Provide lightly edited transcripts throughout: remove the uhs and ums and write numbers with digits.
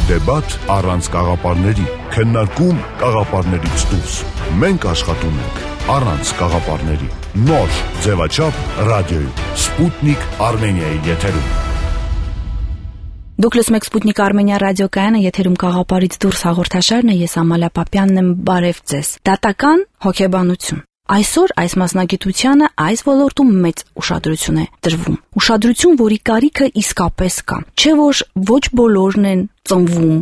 Դեբատ առանց կաղապարների, քննարկում կաղապարներից դուրս։ Մենք աշխատում ենք առանց կաղապարների։ Նոր ձևաչափ ռադիոյում, Սպուտնիկ Արմենիայի եթերում։ Դուք լսում եք Սպուտնիկ Արմենիա ռադիոկայանը, եթերում կաղապարից դուրս հաղորդաշարն է, ես Ամալիա Պապյանն եմ, բարև ձեզ։ Դատական հոգեբանություն։ Այսօր այս մասնագիտությանը այս ոլորտում մեծ ուշադրություն է տրվում։ Ուշադրություն, որի կարիքը իսկապես կա։ Չէ՞ որ ոչ բոլորն են ծնվում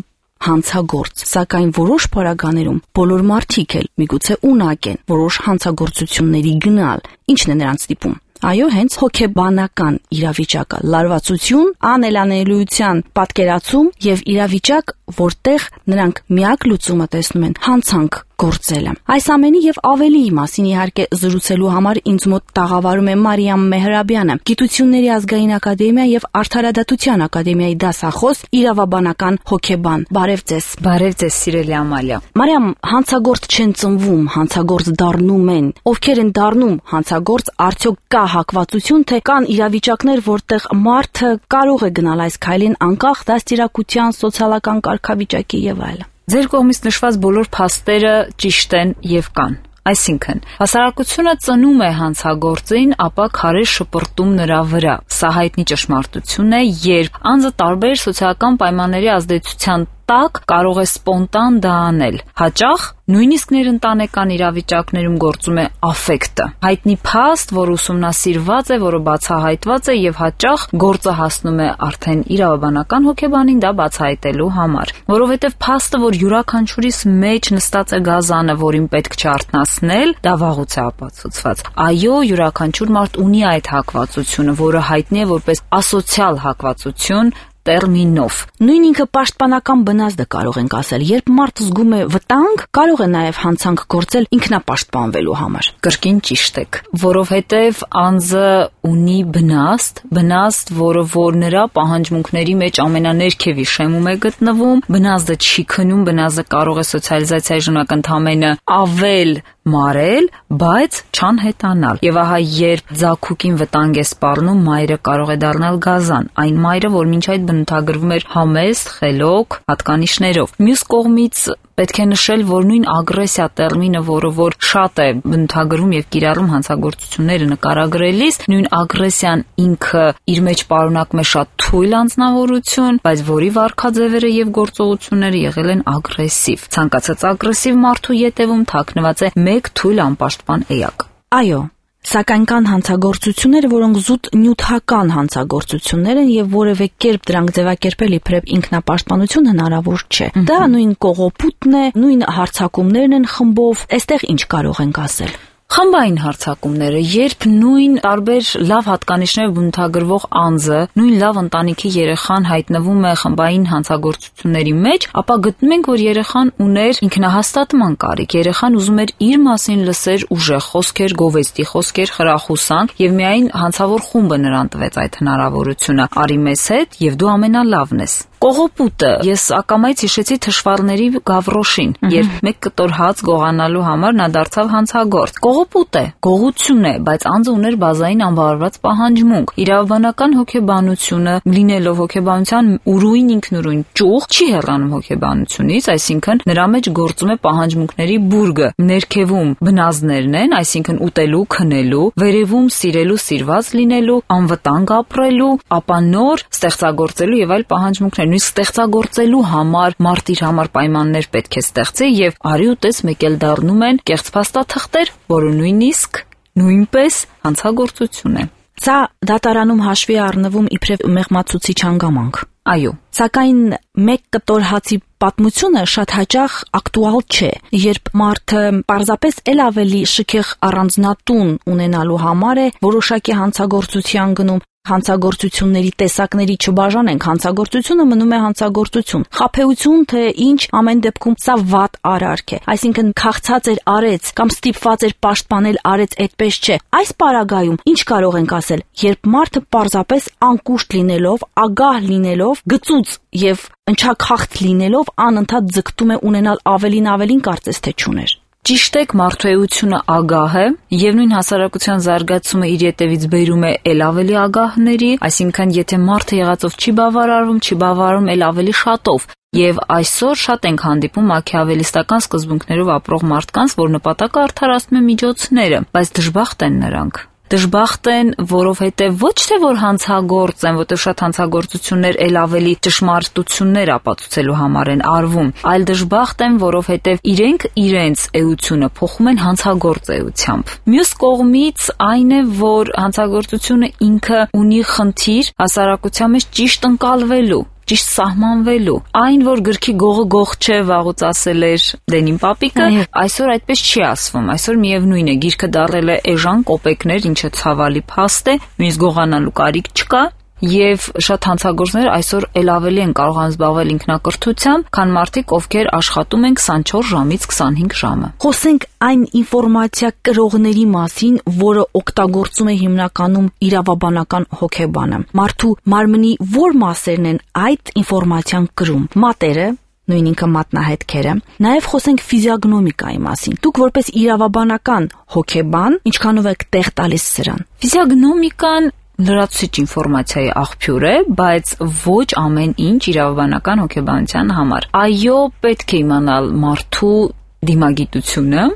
հանցագործ, սակայն որոշ պարագաներում բոլոր մարդիկ էլ միգուցե ունակ են որոշ հանցագործությունների գնալ։ Ինչն է նրանց ստիպում։ Այո, հենց հոգեբանական իրավիճակը, լարվածություն, անելանելիության պատկերացում եւ իրավիճակ, որտեղ նրանք միակ լուծումը տեսնում են հանցանք գործելը։ Այս ամենի եւ ավելիի մասին իհարկե զրուցելու համար ինձ մոտ տաղավարում է Մարիամ Մեհրաբյանը, Գիտությունների ազգային ակադեմիա եւ Արդարադատության ակադեմիայի դասախոս, իրավաբանական հոգեբան։ Բարև ձեզ։ Բարև ձեզ, սիրելի Ամալիա։ Մարիամ, հանցագործ չեն ծնվում, հանցագործ դառնում են։ Ովքեր են դառնում հանցագործ, արդյոք կա հակվածություն, թե կան իրավիճակներ, որտեղ մարդը կարող է գնալ այս քայլին անկախ դաստիարակության, սոցիալական կարգավիճակի եւ այլն։ Ձեր կողմից նշված բոլոր փաստերը ճիշտ են եւ կան։ Այսինքն, հասարակությունը ծնում է հանցագործին, ապա քարե շպրտում նրա վրա։ Սա հայտնի ճշմարտություն է, երբ անձը տարբեր սոցիալական պայմանների ազդեցության տակ կարող է սպոնտան դա անել։ Հաճախ նույնիսկ ներընտանեկան իրավիճակներում գործում է աֆեկտը։ Հայտնի փաստ, որ ուսումնասիրված է, որը բացահայտված է եւ հաճախ գործը հասնում է արդեն իրավաբանական հոգեբանին դա բացահայտելու համար։ Որովհետեւ փաստը, որ յուրաքանչյուրիս մեջ նստած է գազանը, որին պետք չէ արթնացնել, դա վաղուց է ապացուցված։ Այո, յուրաքանչյուր մարդ ունի այդ հակվածությունը, որը հայտնի է որպես ասոցիալ հակվածություն տերմինով։ Նույն ինքը պաշտպանական բնազդը կարող ենք ասել, երբ մարդ զգում է վտանգ, կարող է նաև հանցանք գործել ինքնապաշտպանվելու համար։ Կրկին ճիշտ եք, որովհետև անձը ունի բնազդ, որը որ նրա պահանջմունքների մեջ ամենաներքևի շեմում է գտնվում, բնազդը չի քնում, բնազդը կարող է սոցիալիզացիայի ժամանակ ընդամենը ավել մարել, բայց չանհետանալ։ Եվ ահա երբ ձագուկին վտանգ է սպառնում, մայրը կարող է դառնալ գազան, այն մայրը, որ մինչ այդ բնութագրվում էր համեստ, խելոք, հատկանիշներով։ Մյուս կողմից պետք է նշել, որ նույն ագրեսիա տերմինը, որը որ շատ է բնութագրում եւ կիրառում հանցագործությունները նկարագրելիս, նույն ագրեսիան ինքը իր մեջ պարունակում է շատ թույլ անձնավորություն, բայց որի վարքաձևերը եւ գործողությունները եղել են ագրեսիվ։ Ցանկացած ագրեսիվ մարդու ետևում թաքնված է մեկ թույլ անպաշտպան էակ։ Այո, սակայն կան հանցագործություններ, որոնք զուտ նյութական հանցագործություններ են եւ որևէ կերպ դրանք ձևակերպել իբրև ինքնապաշտպանություն հնարավոր չէ։ Դա նույն կողոպուտն է, նույն հարձակումներն են խմբով, այստեղ ինչ կարող ենք ասել։ Խմբային հարձակումները, երբ նույն տարբեր լավ հատկանիշներով բնութագրվող անձը, նույն լավ ընտանիքի երեխան հայտնվում է խմբային հանցագործությունների մեջ, ապա գտնում ենք, որ երեխան ուներ ինքնահաստատման կարիք, երեխան ուզում էր իր մասին լսեր ուժեղ խոսքեր, գովեստի խոսքեր, խրախուսանք, եւ միայն հանցավոր խումբը նրան տվեց այդ հնարավորությունը։ Արի մեզ հետ, եւ դու ամենալավն ես։ Կողոպուտը, ես ակամայից հիշեցի թշվառների Գավրոշին, երբ մեկ կտոր հաց գողանալու համար նա դարձավ հանցագործ։ Կողոպուտ է, գողություն է, բայց անձը ուներ բազային անբավարարված պահանջմունք։ Իրավաբանական հոգեբանությունը, լինելով հոգեբանության ուրույն ինքնուրույն ճյուղ, չի հեռանում հոգեբանությունից, այսինքն նրա մեջ գործում է պահանջմունքների բուրգը։ Ներքևում բնազդներն են, այսինքն ուտելու, քնելու, վերևում սիրելու, սիրված լինելու, անվտանգ ապրելու, ապա նոր ստեղծագործելու եւ այլ պահանջմունքներ։ Նույնիսկ ստեղծագործելու համար մարդ իր համար պայմաններ պետք է ստեղծի եւ արի ու տես մեկ էլ դառնում են կեղծ փաստաթղթեր, որը նույնպես հանցագործություն է։ Սա դատարանում հաշվի առնվում իբրև մեղմացուցիչ հանգամանք։ Այո, սակայն մեկ կտոր հացի պատմությունը շատ հաճախ ակտուալ չէ, երբ մարդը պարզապես էլ ավելի շքեղ առանձնատուն ունենալու համար է որոշակի հանցագործության գնում։ Հանցագործությունների տեսակների չբաժանենք, հանցագործությունը մնում է հանցագործություն։ Խաբեություն թե ինչ, ամեն դեպքում սա վատ արարք է։ Այսինքն քաղցած էր արեց կամ ստիպված էր պաշտպանել արեց, այդպես չէ։ Այս պարագայում ինչ կարող ենք ասել, երբ մարդը պարզապես անկուշտ լինելով, ագահ լինելով, գծուծ եւ ընչաքաղց լինելով անընդհատ ձգտում է ունենալ ավելին կարծես թե չուներ։ Ճիշտ է, մարդու էությունը ագահ է, եւ նույն հասարակության զարգացումը իր ետևից բերում է ել ավելի ագահների, այսինքն եթե մարդը եղածով չի բավարարում ել ավելի շատով։ Եվ այսօր շատ ենք հանդիպում մաքիավելիստական սկզբունքներով ապրող մարդկանց, որ նպատակը արդարացնում է միջոցները, բայց դժբախտ են նրանք։ Դժբախտ են, որովհետև ոչ թե որ հանցագործ են, որտեղ շատ հանցագործություններ ել ավելի ճշմարտություններ ապացուցելու համար են արվում, այլ դժբախտ են, որովհետև իրենք իրենց էությունը փոխում են հանցագործ էությամբ։ Մյուս կողմից այն է, որ հանցագործությունը ինքը ունի խնդիր հասարակության մեջ ճիշտ ընկալվելու, ճիշտ սահմանվելու։ Այն, որ գրքի գողը գող չէ, վաղուց ասել էր Դենին պապիկը, այսօր այդպես չի ասվում։ Այսօր միևնույն է, գիրքը դառել է էժան կոպեկներ, ինչը ցավալի փաստ է, նույնիսկ գողանալու կարիք չկա։ Եվ շատ հանցագործներ այսօր ել ավելի են կարողանում զբաղվել ինքնակրթությամբ, քան մարդիկ, ովքեր աշխատում են 24 ժամից 25 ժամը։ Խոսենք այն ինֆորմացիա կրողների մասին, որը օգտագործում է հիմնականում իրավաբանական հոգեբանը։ Մարդու մարմնի որ մասերն են այդ ինֆորմացիան կրում։ Մատերը, նույն ինքը մատնահետքերը, նաև խոսենք ֆիզիոգնոմիկայի մասին։ Դուք որպես իրավաբանական հոգեբան ինչքանով եք տեղ տալիս սրան։ Ֆիզիոգնոմիկան լրացուցիչ ինֆորմացիայի աղբյուր է, բայց ոչ ամեն ինչ իրավաբանական հոգեբանության համար։ Այո, պետք է իմանալ մարդու դիմագիտությունը,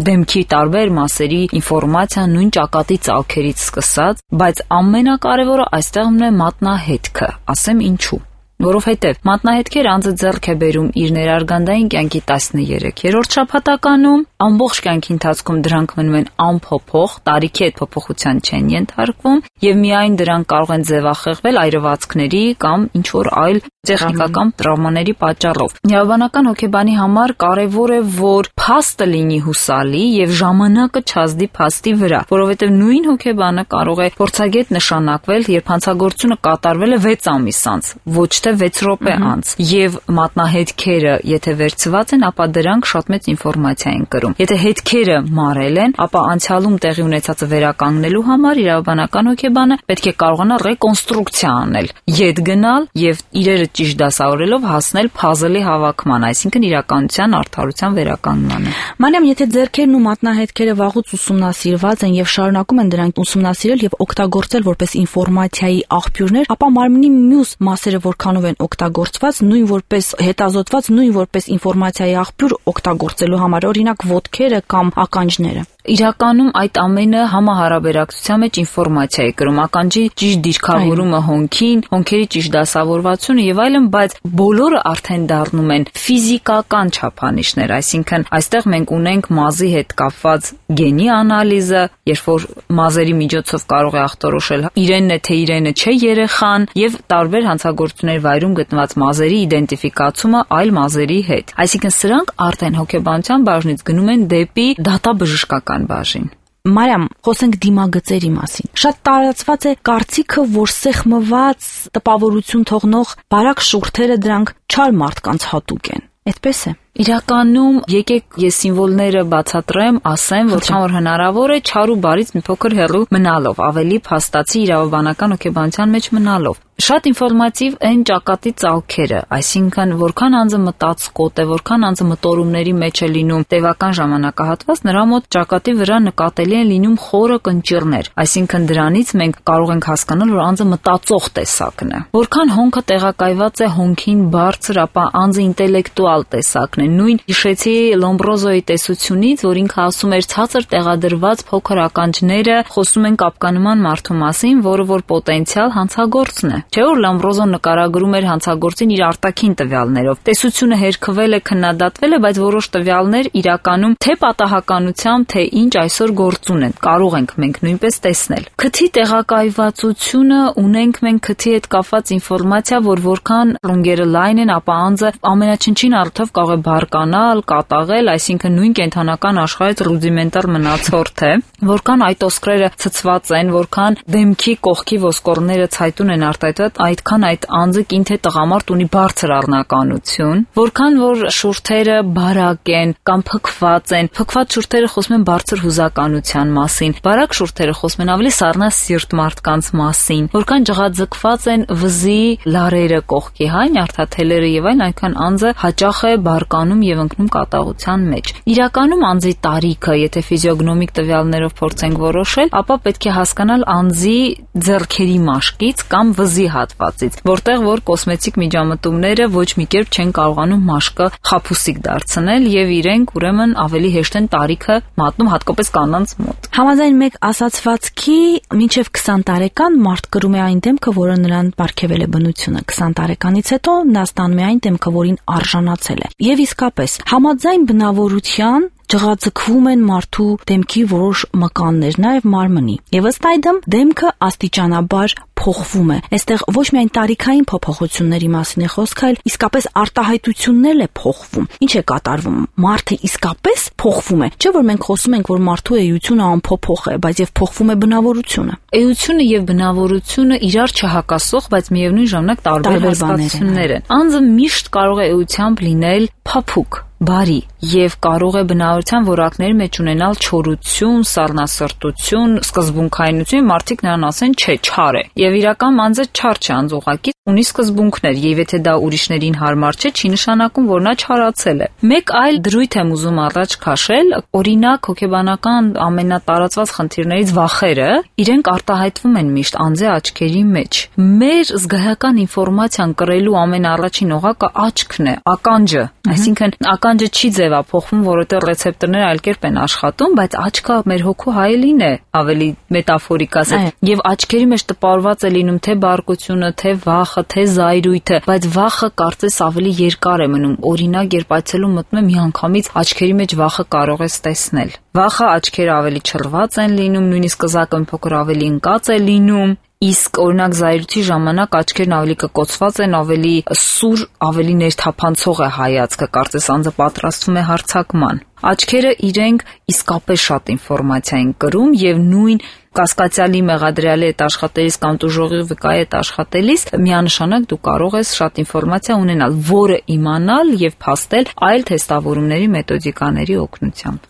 դեմքի տարբեր մասերի ինֆորմացիան նույն ճակատի ծալքերից սկսած, բայց ամենակարևորը այստեղ մնա մատնահետքը, ասեմ ինչու։ Որովհետև մատնահետքեր անձը ձեռք է բերում իր ներարգանդային կյանքի 13-րդ շաբաթականում, ամբողջ կյանքի ընթացքում դրանք մնում են անփոփոխ, տարիքի հետ փոփոխության չեն ենթարկվում եւ միայն դրանք կարող են ձևախեղվել այրվածքների կամ ինչ-որ այլ տեխնիկական տրավմաների պատճառով։ Իրավաբանական հոգեբանի համար կարևոր է, որ փաստը լինի հուսալի եւ ժամանակը չազդի փաստի վրա, որովհետեւ նույն հոգեբանը կարող է փորձագետ նշանակվել, երբ հանցագործությունը կատարվել է 6 ամիս անց, ոչ թե 6 րոպե անց, եւ մատնահետքերը, եթե վերցված են, ապա դրանք շատ մեծ ինֆորմացիա են կրում։ Եթե հետքերը մարել են, ապա անցյալում տեղի ունեցածը վերականգնելու համար իրավաբանական հոգեբանը պետք է կարողանա ռեկոնստրուկցիա անել, ետ գնալ եւ իրերը ճիշտ դասավորելով հասնել փազլի հավաքման, այսինքն իրականության արդարության վերականգնմանը։ Մանյամ, եթե ձեռքերն ու մատնահետքերը վաղուց ուսումնասիրված են եւ շարունակում են դրանք ուսումնասիրել եւ օգտագործել որպես ինֆորմացիայի աղբյուրներ, ապա մարմնի մյուս մասերը որքանով են օգտագործված, նույն որպես հետազոտված, նույն որպես ինֆորմացիայի աղբյուր օգտագործելու համար, օրինակ ոտքերը կամ ականջները։ Իրականում այդ ամենը համահարաբերակցության մեջ ինֆորմացիա է կրում, ականջի ճիշտ դիրքավորումը հոնքին, հոնքերի ճիշտ դասավորվածությունը եւ այլն, բայց բոլորը արդեն դառնում են ֆիզիկական չափանիշներ, այսինքն այստեղ մենք ունենք մազի հետ կապված գենի անալիզը, երբ որ մազերի միջոցով կարող է ախտորոշել իրենն է թե իրենը չէ երեխան եւ տարբեր հանցագործությունների վայրում գտնված մազերի իդենտիֆիկացումը այլ մազերի հետ։ Այսինքն սրանք արդեն հոգեբանության բաժնից գնում են դեպի դատաբժշկական բաժին։ Մարիամ, խոսենք դիմագծերի մասին։ Շատ տարածված է կարծիքը, որ սեղմված տպավորություն թողնող բարակ շուրթերը դրանք չար մարդկանց հատուկ են։ Այդպես է։ Իրականում եկեք ես սիմվոլները բացատրեմ, ասեմ, որքան հնարավոր է չար ու բարից մի փոքր հեռու մնալով, ավելի փաստացի իրավաբանական հոգեբանության մեջ մնալով։ Շատ ինֆորմատիվ են ճակատի ծալքերը, այսինքն որքան անձը մտածկոտ է, որքան անձը մտորումների մեջ է լինում տևական ժամանակահատված, նրա մոտ ճակատի վրա նկատելի են լինում խորը կնճիռներ, այսինքն դրանից մենք կարող ենք հասկանալ, որ անձը մտածող տեսակն է։ Որքան հոնքը տեղակայված է հոնքին բարձր, ապա անձը ինտելեկտուալ տեսակն է։ Նույն հիշեցի Լոմբրոզոյի տեսությունից, որ ինքը ասում էր ցածր տեղադրված փոքր ականջները խոսում են կապկանման մարդու մասին, որը որ պոտենցիալ հանցագործն է։ Չէ՞ որ Լոմբրոզոն նկարագրում էր հանցագործին իր արտաքին տվյալներով։ Տեսությունը հերքվել է, քննադատվել է, բայց որոշ տվյալներ իրականում թե պատահականությամբ, թե ինչ այսօր գործուն են, կարող ենք մենք նույնպես տեսնել։ Քթի տեղակայվածությունը ունենք մենք քթի հետ կապված ինֆորմացիա, որ որքան ռունգերը լայն են, ապա անձը ամենաչնչին առթով կարող է բարկանալ, կատաղել, այսինքն նույն կենթանական աշխարհից ռուդիմենտար մնացորդ է, որքան այդ ոսկրերը ցցված են, որքան դեմքի կողքի ոսկորները ցայտուն են արտահայտված, այդքան այդ անձը կին թե տղամարդ ունի բարձր առնականություն, որքան որ շուրթերը բարակ են կամ փքված են, փքված շուրթերը խոսում են բարձր հուզականության մասին, բարակ շուրթերը խոսում են ավելի սառնասիրտ մարդկանց մասին, որքան ջղաձգված են վզի լարերը կողքի, նյարդաթելերը եւ այլն, այնքան անձը հաճախ է բարկանալու տանում եւ ընկնում կատաղության մեջ։ Իրականում անձի տարիքը, եթե ֆիզիոգնոմիկ տվյալներով փորձենք որոշել, ապա պետք է հասկանալ անձի ձեռքերի մաշկից կամ վզի հատվածից, որտեղ որ կոսմետիկ միջամտումները ոչ մի կերպ չեն կարողանում մաշկը խաբուսիկ դարձնել եւ իրենք ուրեմն ավելի հեշտ են տարիքը մատնում, հատկապես կանանց մոտ։ Համաձայն մեկ ասացվածքի մինչև 20 տարեկան մարդ կրում է այն դեմքը, որը նրան պարգևել է բնությունը։ 20 տարեկանից հետո նա ստանում է այն դեմքը, որին արժանացել է։ Եվ իսկապես, համաձայն բնավորության ջղաձգվում են մարդու դեմքի որոշ մկաններ, նաև մարմնի։ Եվ ըստ այդմ դեմքը աստիճանաբար փոխվում է։ Այստեղ ոչ միայն տարիքային փոփոխությունների մասին է խոսքը, այլ իսկապես արտահայտություններն է փոխվում։ Ինչ է կատարվում։ Մարդը իսկապես փոխվում է։ Չէ՞ որ մենք խոսում ենք, որ մարդու էությունը անփոփոխ է, բայց եւ փոխվում է բնավորությունը։ Էությունը եւ բնավորությունը իրար չհակասող, բայց միևնույն ժամանակ տարբեր հասկացություններ են։ Անձը միշտ կարող է էությամբ լինել փափուկ, բարի եւ կարող է բնավորության որակների մեջ ունենալ չորություն, սառնասրտություն, սկզբունքայնություն, մարդիկ նրան ասեն, չէ, չար է։ Եվ իրական անձը չար չէ, անձ ուղղակի ունի սկզբունքներ, եւ եթե դա ուրիշներին հարմար չէ, չի նշանակում, որ նա չարացել է։ Մեկ այլ դրույթ եմ ուզում առաջ քաշել, օրինակ հոգեբանական ամենատարածված խնդիրներից վախերը, իրենք արտահայտվում են միշտ անձի աչքերի մեջ։ Մեր զգայական ինֆորմացիան կրելու ամենաառաջին օղակը աչքն է, ականջը, այսինքն ականջը չի ձևափոխվում, որովհետեւ ռեցեպտորները այլ կերպ են աշխատում, բայց աչքը մեր հոգու հայելին է, ավելի մետաֆորիկ ասած, եւ աչքերի մեջ տպարված է լինում թե բարկությունը, թե վախը, թե զայրույթը, բայց վախը կարծես ավելի երկար է մնում։ Օրինակ, երբ այցելում մտնում եմ, միանգամից աչքերի մեջ վախը կարող ես տեսնել։ Վախը աչքերը ավելի չռված են լինում, նույնիսկ կզակը փոքր ավելի ընկած է լինում։ Իսկ օրինակ զայրույթի ժամանակ աչքերն ավելի կկոցված են, ավելի սուր, ավելի ներթափանցող է հայացքը, կարծես անձը պատրաստվում է հարձակման։ Աչքերը իրենք իսկապես շատ ինֆորմացիա են կրում եւ նույն կասկածյալի մեղադրյալի հետ աշխատելիս կամ տուժողի վկայի հետ աշխատելիս միանշանակ դու կարող ես շատ ինֆորմացիա ունենալ, որը իմանալ եւ փաստել այլ թեստավորումների մեթոդիկաների օգնությամբ։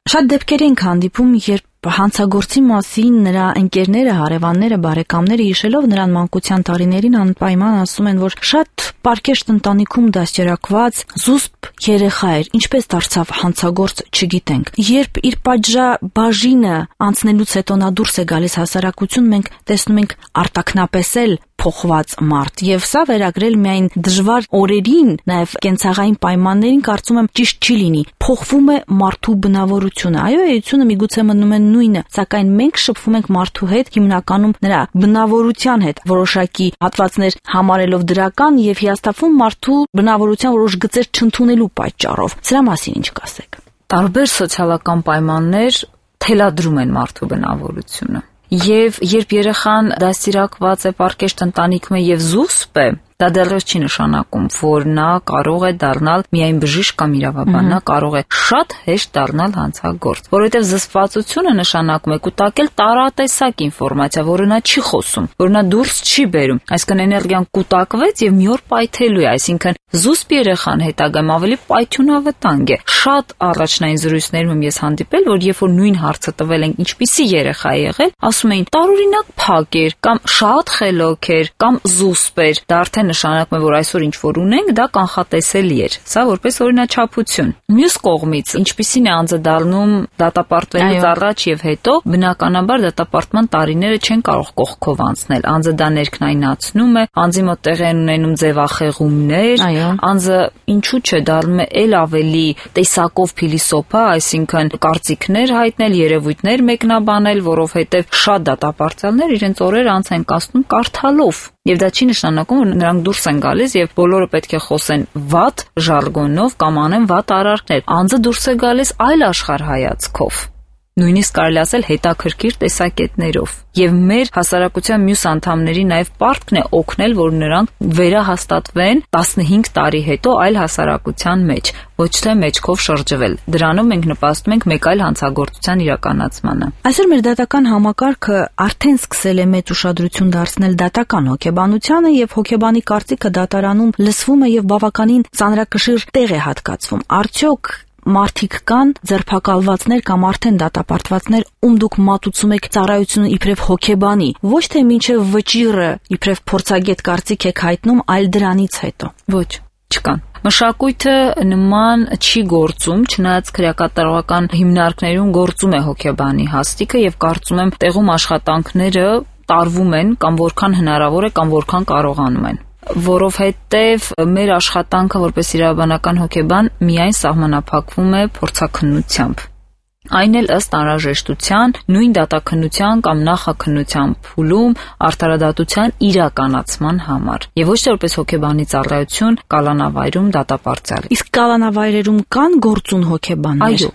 Շատ դեպքեր ենք հանդիպում, երբ հանցագործի մասին նրա ընկերները, հարևանները, բարեկամները հիշելով նրան մանկության տարիներին անպայման ասում են, որ շատ պարկեշտ ընտանիքում դաստիարակված զուսպ երեխա էր, ինչպես դարձավ հանցագործ չգիտենք։ Երբ իր պատժաբաժինը անցնելուց հետո նա դուրս է գալիս հասարակություն, մենք տեսնում ենք արտաքնապեսել փոխված մարդ, եւ սա վերագրել միայն դժվար օրերին, նաեւ կենցաղային պայմաններին կարծում եմ ճիշտ չի լինի։ Փոխվում է մարդու բնավորությունը։ Այո, էությունը միգուցե մնում է նույնը, սակայն մենք շփվում ենք մարդու հետ հիմնականում նրա բնավորության հետ, որոշակի հատվածներ համարելով դրական եւ հիասթափվում մարդու բնավորության որոշ գծեր չընդունելու պատճառով։ Սրա մասին ինչ կասեք։ Տարբեր սոցիալական պայմաններ թելադրում են մարդու բնավորությունը։ Եվ երբ երեխան դաստիարակված է պարկեշտ ընտանիքում եւ զուսպ է, դա դեռ չի նշանակում, որ նա կարող է դառնալ միայն բժիշկ կամ իրավաբան, նա կարող է շատ հեշտ դառնալ հանցագործ, որովհետև զսպվածությունը նշանակում է կուտակել տարատեսակ ինֆորմացիա, որը նա չի խոսում, որ նա դուրս չի բերում, այսինքն էներգիան կուտակվեց եւ մի օր պայթելու է, այսինքն զուսպ երեխան հետագայում ավելի պայթյունավտանգ է։ Շատ առաջնային զրույցներում եմ ես հանդիպել, որ երբ որ նույն հարցը տվել են, ինչպիսի երեխա է եղել, ասում էին տարօրինակ փակ էր, կամ շատ խելոք էր, կամ զուսպ էր, դա արդեն նշանակում է, որ այսօր ինչ որ ունենք, դա կանխատեսելի էր։ Սա որպես օրինաչափություն։ Մյուս կողմից, ինչպիսին է անձը դառնում դատապարտվելուց առաջ եւ հետո, բնականաբար դատապարտման տարիները չեն կարող կողքով անցնել։ Անձը դա ներքնայնացնում է, անձի մոտ տեղի են ունենում ձևախեղումներ, անձը ինչու՞ չէ դառնում է ել ավելի տեսակով փիլիսոփա, այսինքն կարծիքներ հայտնել, երևույթներ մեկնաբանել, որովհետեւ շատ դատապարտյալներ իրենց օրերը անց են կացնում կարդալով։ Եվ դա չի նշանակում, որ նրանք դուրս են գալիս եւ բոլորը պետք է խոսեն վատ ժարգոնով կամ անեն վատ արարքներ։ Անձը դուրս է գալիս այլ աշխարհայացքով։ Նույնիսկ կարելի ասել հետաքրքիր տեսակետներով։ Եվ մեր հասարակության մյուս անդամների նաև պարտքն է օգնել, որ նրանք վերահաստատվեն 15 տարի հետո այլ հասարակության մեջ, ոչ թե մեջքով շրջվել։ Դրանով մենք նպաստում ենք մեկ այլ հանցագործության իրականացմանը։ Այսօր մեր դատական համակարգը արդեն սկսել է մեծ ուշադրություն դարձնել դատական հոգեբանությանը եւ հոգեբանի կարծիքը դատարանում լսվում է եւ բավականին ծանրակշիռ տեղ է հատկացվում։ Արդյոք մարդիկ կան, ձերբակալվածներ կամ արդեն դատապարտվածներ, ում դուք մատուցում եք ծառայությունը իբրև հոգեբանի, ոչ թե մինչև վճիռը իբրև փորձագետ կարծիք եք հայտնում, այլ դրանից հետո։ Ոչ, չկան։ Մշակույթը նման չի գործում, չնայած քրեակատարողական հիմնարկներում գործում է հոգեբանի հաստիկը եւ կարծում եմ տեղում աշխատանքները տարվում են կամ որքան հնարավոր է կամ որքան կարողանում են, որովհետեւ մեր աշխատանքը որպես իրավաբանական հոգեբան միայն սահմանափակվում է փորձաքննությամբ։ Այն էլ ըստ անհրաժեշտության նույն դատաքննության կամ նախաքննության փուլում արդարադատության իրականացման համար եւ ոչ թե որպես հոգեբանի ծառայություն կալանավայրում դատապարտյալ։ Իսկ կալանավայրերում կան գործուն հոգեբաններ։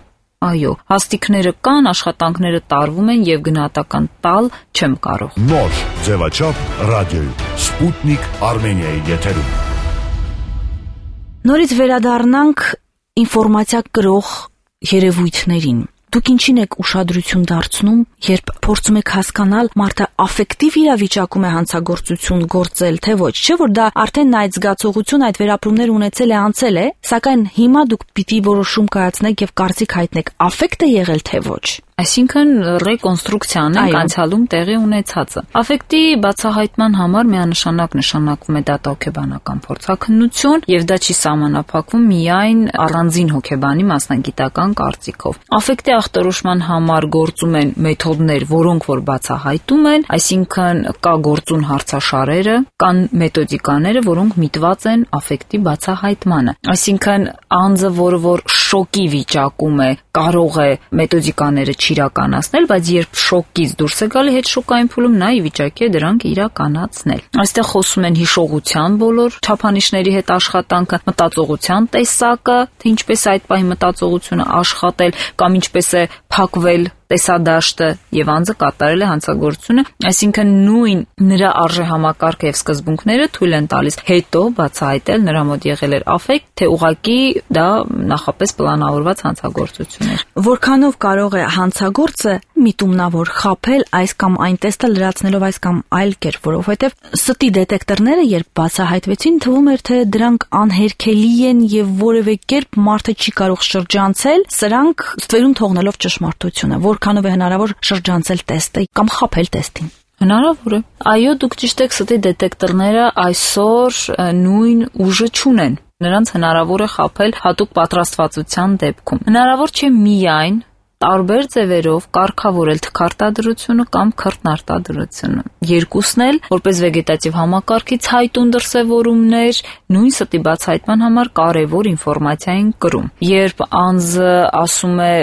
Այո, հաստիկները կան, աշխատանքները տարվում են եւ գնահատական տալ չեմ կարող։ Նոր ձևաչափ ռադիոյում Սպուտնիկ Արմենիայի եթերում։ Նորից վերադառնանք ինֆորմացիա կրող երևույթներին։ Դուք ինչին եք ուշադրություն դարձնում, երբ փորձում եք հասկանալ մարդը աֆեկտիվ իրավիճակում է հանցագործություն գործել, թե ոչ, չէ՞ որ դա արդեն այդ զգացողություն, այդ վերապրումներ ունեցել է, անցել է, սակայն հիմա դուք պիտի որոշում կայացնեք եւ կարծիք հայտնեք, աֆեկտ է եղել թե ոչ։ Այսինքն ռեկոնստրուկցիան է անցյալում տեղի ունեցածը։ Աֆեկտի բացահայտման համար միանշանակ նշանակվում է դատահոգեբանական փորձաքննություն եւ դա չի սահմանափակվում միայն առանձին հոգեբանի մասնագիտական կարծիքով։ Աֆեկտի ախտորոշման համար գործում են մեթոդներ, որոնք որ բացահայտում են, այսինքն կա գործուն հարցաշարերը, կան մեթոդիկաները, որոնք միտված են աֆեկտի բացահայտմանը։ Այսինքն անձը, որ շոկի վիճակում է, կարող է մեթոդիկաները չիրականացնել, բայց երբ շոկից դուրս է գալի հետ շոկային փուլում նա ի վիճակի է դրանք իրականացնել։ Այստեղ խոսում են հիշողության բոլոր չափանիշների հետ աշխատանքը, մտածողության տեսակը, թե ինչպես այդ պահի մտածողությունը աշխատել կամ ինչպես է փակվել տեսադաշտը եւ անձը կատարել է հանցագործությունը, այսինքն նույն նրա արժեհամակարգը եւ սկզբունքները թույլ են տալիս հետո բացահայտել նրա մոտ եղել էր աֆեկտ, թե ուղղակի դա նախապես պլանավորված հանցագործություն էր։ Որքանով կարող է հանցագործը միտումնավոր խաբել այս կամ այն տեստը լրացնելով այս կամ այլ կերպ, որովհետեւ ստի դետեկտորները երբ բացահայտվեցին, թվում էր թե դրանք անհերքելի են եւ որևէ կերպ մարդը չի կարող շրջանցել, սրանք ստվերում թողնելով ճշմարտությունը, որքանով է հնարավոր շրջանցել տեստը կամ խաբել տեստին։ Հնարավոր է։ Այո, դուք ճիշտ եք, ստի դետեկտորները այսօր նույն ուժը չունեն։ Նրանց հնարավոր է խաբել հատուկ պատրաստվածության դեպքում։ Հնարավոր չէ միայն տարբեր ձևերով կարգավորել թքարտադրությունը կամ քրտնարտադրությունը։ Երկուսն էլ, որպես վեգետատիվ համակարգից հայտուն դրսևորումներ, նույն ստի բացահայտման համար կարևոր ինֆորմացիա են կրում։ Երբ անձը ասում է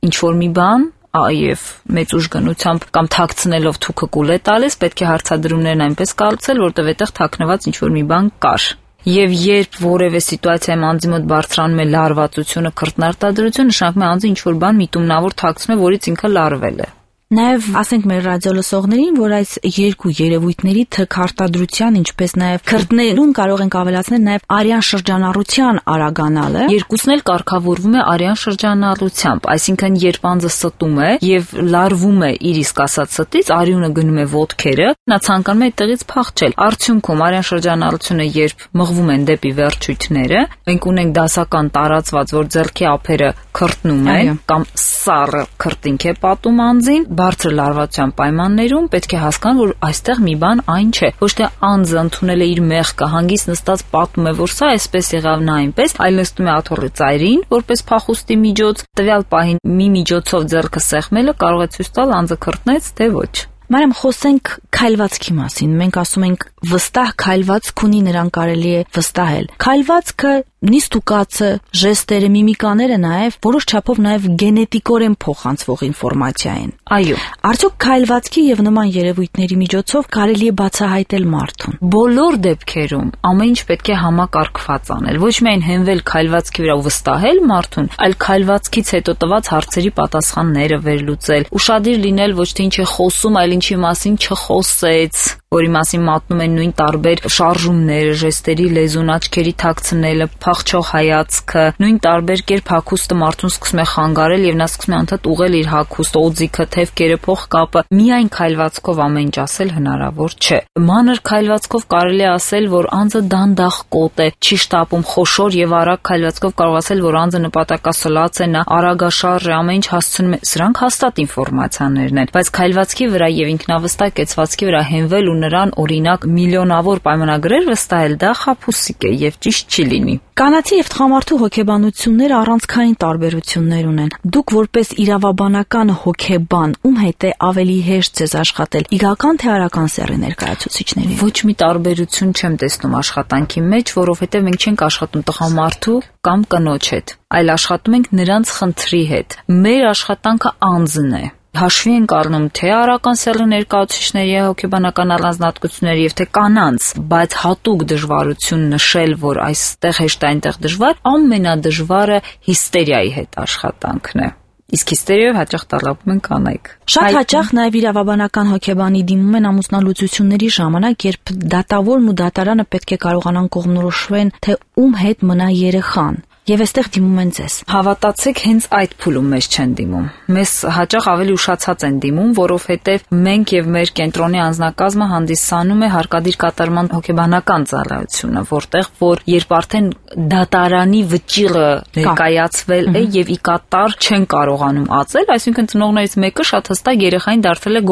ինչ-որ մի բան, եւ մեծ ուժգնությամբ կամ թաքցնելով թուքը կուլ է տալիս, պետք է հարցադրումներն այնպես կառուցել, որտեղ այդտեղ թաքնված ինչ-որ մի բան կար։ Եվ երբ որևէ սիտուացիայում անձի մոտ բարձրանում է լարվածությունը, քրտնարտադրություն, նշանակում է անձը ինչ-որ բան միտումնավոր թաքցնում է, որից ինքը լարվել է։ Նաև ասենք մեր ռադիոլսողներին, որ այս երկու երևույթների թքարտադրության, ինչպես նաև քրտներում կարող ենք ավելացնել նաև արյան շրջանառության արագանալը։ Երկուսն էլ կարգավորվում է արյան շրջանառությամբ, այսինքն երբ անձը ստում է եւ լարվում է իր իսկ ասած ստից, արյունը գնում է ոտքերը, նա ցանկանում է այդտեղից փախչել։ Արդյունքում արյան շրջանառությունը երբ մղվում են դեպի վերջույթները, մենք ունենք դասական տարածված, որ ձեռքի ափերը քրտնում են կամ սառը քրտինք է պատում անձին, բարձր լարվածության պայմաններում պետք է հասկանան, որ այստեղ մի բան այն չէ։ Ոչ թե անձը ընդունել է իր մեղքը, հանգիստ նստած պատմում է, որ սա այսպես եղավ, նա այնպես, այլ նստում է աթոռի ծայրին, որպես փախուստի միջոց, տվյալ պահին մի միջոցով ձեռքը սեղմելը կարող է ցույց տալ անձը քրտնեց, թե ոչ։ Մարիամ, խոսենք քայլվածքի մասին։ Մենք ասում ենք վստահ քայլվածք ունի, նրան կարելի է վստահել։ Քայլվածքը, նիստուկացը, ժեստերը, միմիկաները նաև որոշ չափով նաև գենետիկորեն փոխանցվող ինֆորմացիա են։ Այո։ Արդյոք քայլվածքի եւ նման երևույթների միջոցով կարելի է բացահայտել մարդուն։ Բոլոր դեպքերում ամեն ինչ պետք է համակարգված անել։ Ոչ միայն հենվել քայլվածքի վրա ու վստահել մարդուն, այլ քայլվածքից հետո տված հարցերի պատասխանները վերլուծել։ Ուշադիր լինել ոչ թե ինչ է խոսում, այլ ինչի մասին չխոսեց, որի մասին մատնում են նույն տարբեր շարժումները, ժեստերի լեզուն, աչքերի թաքցնելը, փախչող հայացքը, նույն տարբեր կերպ հագուստը մարդուն սկսում է խանգարել եւ նա սկսում է անդադ ուղղել իր հագուստ, օձիքը, թևքերը, փողկապը։ Միայն քայլվածքով ամեն ինչ ասել հնարավոր չէ։ Մանր քայլվածքով կարելի է ասել, որ անձը դանդաղ կոտ է, չի շտապում, խոշոր եւ արագ քայլվածքով կարող ասել, որ անձը նպատակասլաց է, նա արագաշարժ է, ամեն ինչ հասցնում է։ Սրանք հաստատ ինֆորմացիաներն են, բայց քայլվածքի վրա եւ ինքնավստահ կեցվածքի վրա հենվել ու նրան օրինակ մի միլիոնավոր պայմանագրեր վստահել, դա խաբուսիկ է եւ ճիշտ չի լինի։ Կանացի եւ տղամարդու հոգեբանությունները առանցքային տարբերություններ ունեն։ Դուք որպես իրավաբանական հոգեբան, ում հետ է ավելի հեշտ ձեզ աշխատել, իրական թե արական սեռի ներկայացուցիչների։ Ոչ մի տարբերություն չեմ տեսնում աշխատանքի մեջ, որովհետեւ մենք չենք աշխատում տղամարդու կամ կնոջ հետ, այլ աշխատում ենք նրանց խնդրի հետ։ Մեր աշխատանքը անձն է։ Հաշվի ենք առնում թե արական սեռի ներկայացուցիչների հոգեբանական առանձնահատկությունները եւ թե կանանց, բայց հատուկ դժվարություն նշել, որ այստեղ հեշտ այնտեղ դժվար, ամենադժվարը հիստերիայի հետ աշխատանքն է։ Իսկ հիստերիայով հաճախ տառապում են կանայք։ Շատ հաճախ նաև իրավաբանական հոգեբանի դիմում են ամուսնալուծությունների ժամանակ, երբ դատավորն ու դատարանը պետք է կարողանան կողմնորոշվեն, թե ում հետ մնա երեխան։ Եվ այստեղ դիմում են ձեզ։ Հավատացեք, հենց այդ փուլում մեզ չեն դիմում։ Մեզ հաճախ ավելի ուշացած են դիմում, որովհետև մենք եւ մեր կենտրոնի անձնակազմը հանդիսանում է հարկադիր կատարման հոգեբանական ծառայությունը, որտեղ որ երբ արդեն դատարանի վճիռը ներկայացվել է եւ ի կատար չեն կարողանում ածել, այսինքն ծնողներից մեկը շատ հստակ երեխային դարձել է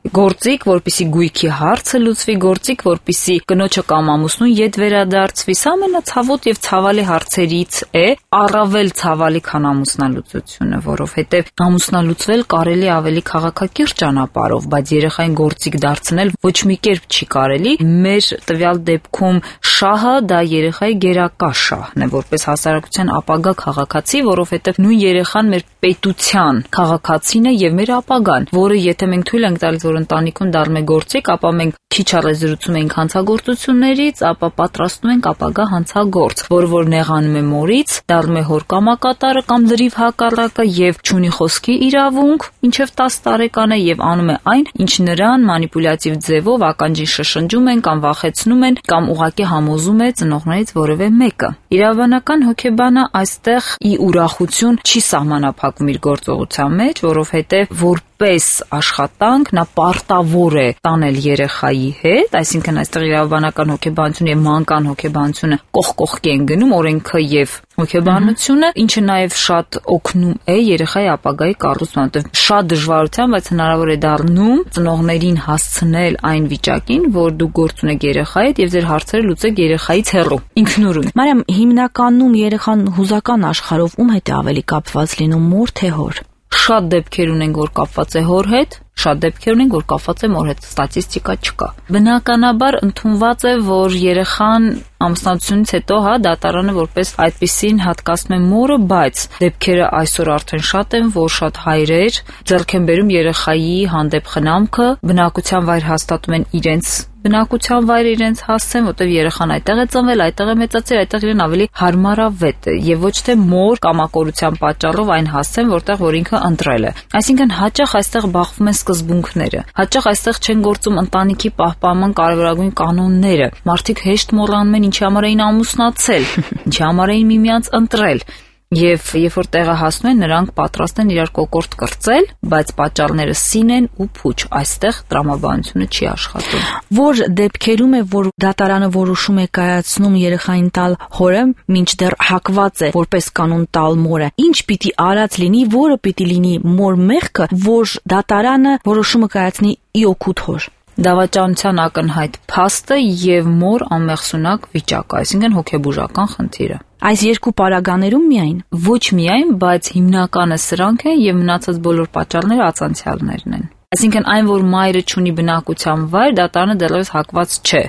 գործիք, որպիսի գույքի հարցը լուծվի, գործիք, որպիսի կնոջը կամ ամուսնուն ետ վերադարձվի, սա ամենացավոտ եւ ցավալի հարցերից է, առավել ցավալի քան ամուսնալուծությունը, որովհետև ամուսնալուծվել կարելի ավելի քաղաքակիրթ ճանապարհով, բայց երեխային գործիք դարձնել ոչ մի կերպ չի կարելի։ Մեր տվյալ դեպքում շահը դա երեխայի գերակա շահն է, որպես հասարակության ապագա քաղաքացի, որովհետև նույն երեխան մեր պետության քաղաքացին է եւ մեր ապագան, որը եթե մենք թույլ ենք տալիս, որ ընտանիքում դառնում է գործիք, ապա մենք քիչ առեզրուցում ենք հանցագործություններից, ապա պատրաստում ենք ապագա հանցագործ, որ նեղանում է մորից, դառնում է հոր կամակատարը կամ լրիվ հակառակը եւ չունի խոսքի իրավունք, ինչեւ 10 տարեկան է եւ անում է այն, ինչ նրան մանիպուլյատիվ ձևով ականջին շշնջում են կամ վախեցնում են կամ ուղղակի համոզում է ծնողներից որևէ մեկը։ Իրավաբանական հոգեբանը այստեղ ի ուրախություն չի սահմանափակում իր գործողության մեջ, որովհետեւ որպես աշխատանք նա պարտավոր է տանել երեխայի հետ, այսինքն այստեղ իրավաբանական հոգեբանությունը եւ մանկան հոգեբանությունը կողքի են գնում, օրենքը եւ հոգեբանությունը, ինչը նաեւ շատ օգնում է երեխայի ապագայի կառուցման, որտեղ շատ դժվարությամբ, բայց հնարավոր է դառնում ծնողներին հասցնել այն վիճակին, որ դուք գործ ունեք երեխայի հետ եւ ձեր հարցերը լուծեք երեխայից հեռու, ինքնուրույն։ Մարիամ, հիմնականում երեխան հուզական աշխարհով ում հետ է ավելի կապված լինում, մոր թե հոր։ Շատ դեպքեր ունենք, որ կապված է հոր հետ, շատ դեպքեր ունենք, որ կապված է մոր հետ, ստատիստիկա չկա։ Բնականաբար ընդունված է, որ երեխան ամուսնությունից հետո դատարանը որպես այդպիսին հատկացնում է մորը, բայց դեպքերը այսօր արդեն շատ են, որ շատ հայրեր ձեռք են բերում երեխայի հանդեպ խնամքը, բնակության վայր հաստատում են իրենց բնակության վայրը իրենց հասցեն, որտեղ երեխան այդտեղ է ծնվել, այդտեղ է մեծացել, այդտեղ իրեն ավելի հարմարավետ է եւ ոչ թե մոր կամակորության պատճառով այն հասցեն, որտեղ որ ինքը ընտրել է։ Այսինքն հաճախ այստեղ բախվում են սկզբունքները։ Հաճախ այստեղ չեն գործում ընտանիքի պահպանման կարևորագույն կանոնները։ Մարդիկ հեշտ մոռանում են ինչի համար էին ամուսնացել, ինչի համար էին միմյանց ընտրել։ Եվ երբ որ տեղը հասնում են, նրանք պատրաստ են իրար կոկորտ կրծել, բայց պատճառները սին են ու փուչ, այստեղ տրամաբանությունը չի աշխատում։ Որ դեպքերում է, որ դատարանը որոշում է կայացնում երեխային տալ հորը, մինչդեռ հակված է որպես կանոն տալ մորը, ինչ պիտի արած լինի, որը պիտի լինի մոր մեղքը, որ դատարանը որոշումը կայացնի ի օգուտ հոր։ Դավաճանության ակնհայտ փաստը եւ մոր անմեղսունակ վիճակը, այսինքն հոգեբուժական խնդիրը։ Այս երկու պարագաներում միայն։ Ոչ միայն, բայց հիմնականը սրանք են եւ մնացած բոլոր պատճառները ածանցյալներն են։ Այսինքն այն, որ մայրը չունի բնակության վայր, դատարանը դեռևս հակված չէ,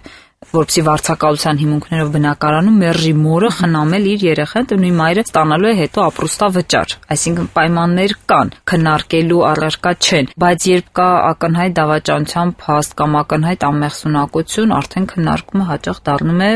որպեսզի վարձակալության հիմունքներով բնակարանում մերժի մորը խնամել իր երեխան, ու նույն մայրը ստանալու է հետո ապրուստավճար։ Այսինքն պայմաններ կան, քննարկելու առարկա չեն, բայց երբ կա ակնհայտ դավաճանության փաստ կամ ակնհայտ անմեղսունակություն, արդեն քննարկումը հաճախ դառնում է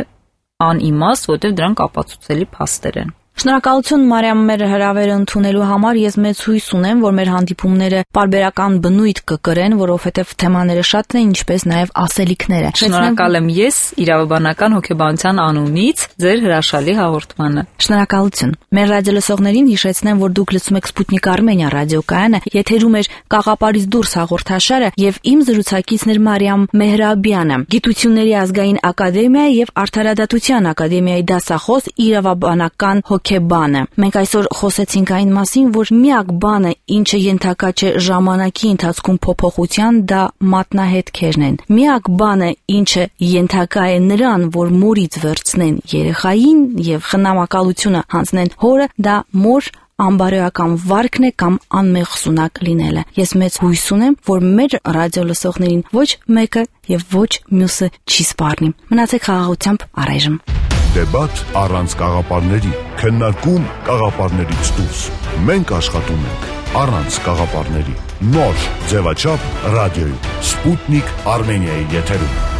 անիմաստ, որտեղ դրանք ապացուցելի փաստեր են։ Շնորհակալություն Մարիամ, մեր հրավերը ընդունելու համար։ Ես մեծ հույս ունեմ, որ մեր հանդիպումները պարբերական բնույթ կկրեն, որովհետև թեմաները շատն են, ինչպես նաև ասելիքները։ Շնորհակալ եմ ես իրավաբանական հոգեբանության անունից ձեր հրաշալի հաղորդմանը։ Շնորհակալություն։ Մեր ռադիոլսողներին հիշեցնեմ, որ դուք լսում եք Սպուտնիկ Արմենիա ռադիոկայանը, եթերում է Կաղապարից դուրս հաղորդաշարը եւ իմ զրուցակիցն էր Մարիամ Մեհրաբյանը, Գիտությունների ազգային ակադեմիայի եւ Արդարադատության ակադեմիայի դասախոս, իրավաբանական հոգեբան է։ Մենք այսօր խոսեցինք այն մասին, որ միակ բանը, ինչը ենթակա չէ ժամանակի ընթացքում փոփոխության, դա մատնահետքերն են։ Միակ բանը, ինչը ենթակա է նրան, որ մորից վերցնեն երեխային եւ խնամակալությունը հանձնեն հորը, դա մոր անբարոյական վարքն է կամ անմեղ սունակ լինելը։ Ես մեծ հույս ունեմ, որ մեր ռադիո լսողներին ոչ մեկը եւ ոչ մյուսը չի սպառնի։ Մնացեք խաղաղությամբ առայժմ։ Դեբատ առանց կաղապարների, քննարկում կաղապարներից դուրս։ Մենք աշխատում ենք առանց կաղապարների։ Նոր ձևաչափ ռադիոյում, Սպուտնիկ Արմենիայի եթերում։